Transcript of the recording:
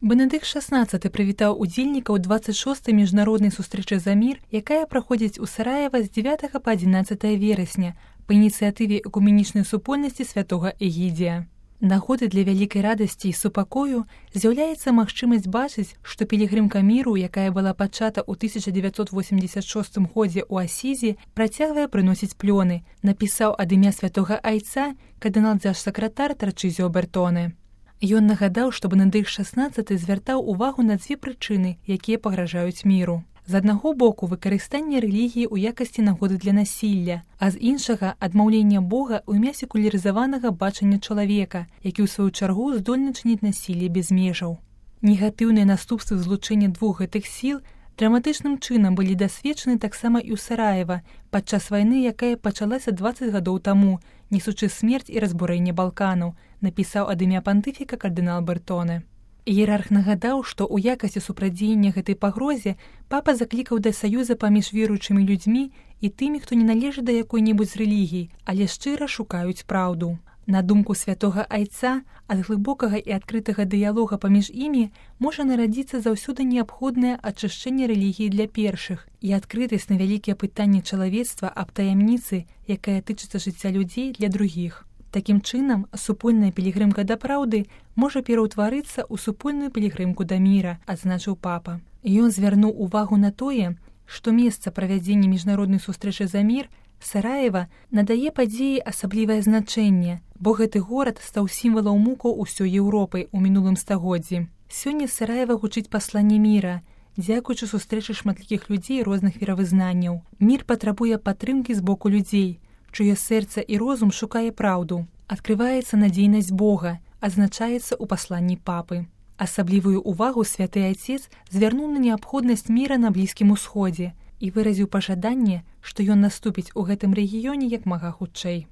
Бенедыкт XVI прывітаў удзельнікаў 26-й міжнароднай сустрэчы за мір, якая праходзіць у Сараева з 9 па 11 верасня па ініцыятыве экуменічнай супольнасці святога Эгідзія. Нагодай для вялікай радасці і супакою з'яўляецца магчымасць бачыць, што пілігрымка міру, якая была пачата ў 1986 годзе ў Асізі, працягвае прыносіць плёны, напісаў ад імя святога айца кардынал-дзяржсакратар Тарчызіо Бертоне. Ён нагадаў, што Бенедыкт XVI звяртаў увагу на дзве прычыны, якія пагражаюць міру. З аднаго боку, выкарыстанне рэлігіі ў якасці нагоды для насілля, а з іншага – адмаўленне Бога ў імя секулярызаванага бачання чалавека, які ў сваю чаргу здольны чыніць насілле без межаў. Негатыўныя наступствы злучэння двух гэтых сіл драматычным чынам былі дасведчаны таксама і ў Сараева падчас вайны, якая пачалася 20 гадоў таму, несучы смерць і разбурэнне Балканаў, напісаў ад імя пантыфіка кардынал Бертоне. Іерарх нагадаў, што ў якасці супрадзеяння гэтай пагрозе папа заклікаў да саюза паміж веруючымі людзьмі і тымі, хто не належыць да якой-небудзь рэлігіі, але шчыра шукаюць праўду. На думку святога айца, ад глыбокага і адкрытага дыялога паміж імі можа нарадзіцца заўсёды неабходнае ачышчэнне рэлігіі для першых і адкрытасць на вялікія пытанні чалавецтва аб таямніцы, якая тычыцца жыцця людзей для другіх. Такім чынам, супольная пілігрымка да праўды можа пераўтварыцца ў супольную пілігрымку да міра, адзначыў папа. Ён звярнуў увагу на тое, што месца правядзення міжнароднай сустрэчы за мір Сараева надае падзеі асаблівае значэнне, бо гэты горад стаў сімвалам мукаў усёй Еўропы ў мінулым стагоддзі. Сёння з Сараева гучыць пасланне міра, дзякуючы сустрэчы шматлікіх людзей розных веравызнанняў. Мір патрабуе падтрымкі з боку людзей, чыё сэрца і розум шукае праўду. Адкрываецца надзейнасць Бога, адзначаецца ў пасланні папы. Асаблівую ўвагу святы айцец звярнуў на неабходнасць міра на Блізкім Усходзе і выразіў пажаданне, што ён наступіць у гэтым рэгіёне як мага хутчэй.